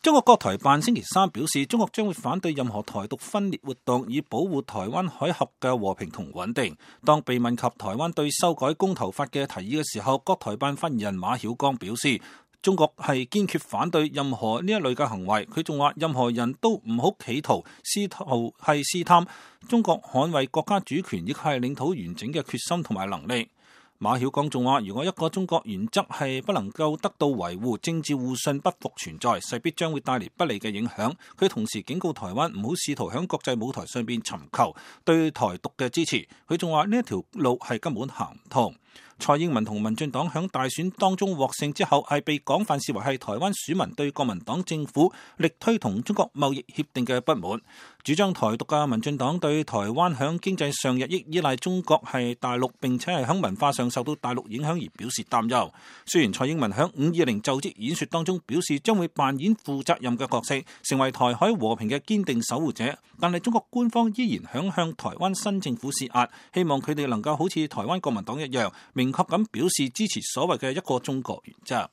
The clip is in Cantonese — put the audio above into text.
中國國台辦星期三表示，中國將會反對任何台獨分裂活動，以保護台灣海峽嘅和平同穩定。當被問及台灣對修改公投法嘅提議嘅時候，國台辦發言人馬曉光表示，中國係堅決反對任何呢一類嘅行為。佢仲話，任何人都唔好企圖試探中國捍衛國家主權亦係領土完整嘅決心同埋能力。馬曉光仲話，如果一個中國原則係不能夠得到維護，政治互信不復存在，勢必將會帶嚟不利嘅影響。佢同時警告台灣唔好試圖響國際舞台上邊尋求對台獨嘅支持。佢仲話，呢一條路係根本行唔通。蔡英文同民進黨響大選當中獲勝之後，係被廣泛視為係台灣選民對國民黨政府力推同中國貿易協定嘅不滿。主張台獨嘅民進黨對台灣響經濟上日益依賴中國係大陸，並且係響文化上受到大陸影響而表示擔憂。雖然蔡英文響520就職演說當中表示將會扮演負責任嘅角色，成為台海和平嘅堅定守護者，但係中國官方依然響向台灣新政府施壓，希望佢哋能夠好似台灣國民黨一樣明確咁表示支持所謂嘅一個中國原則。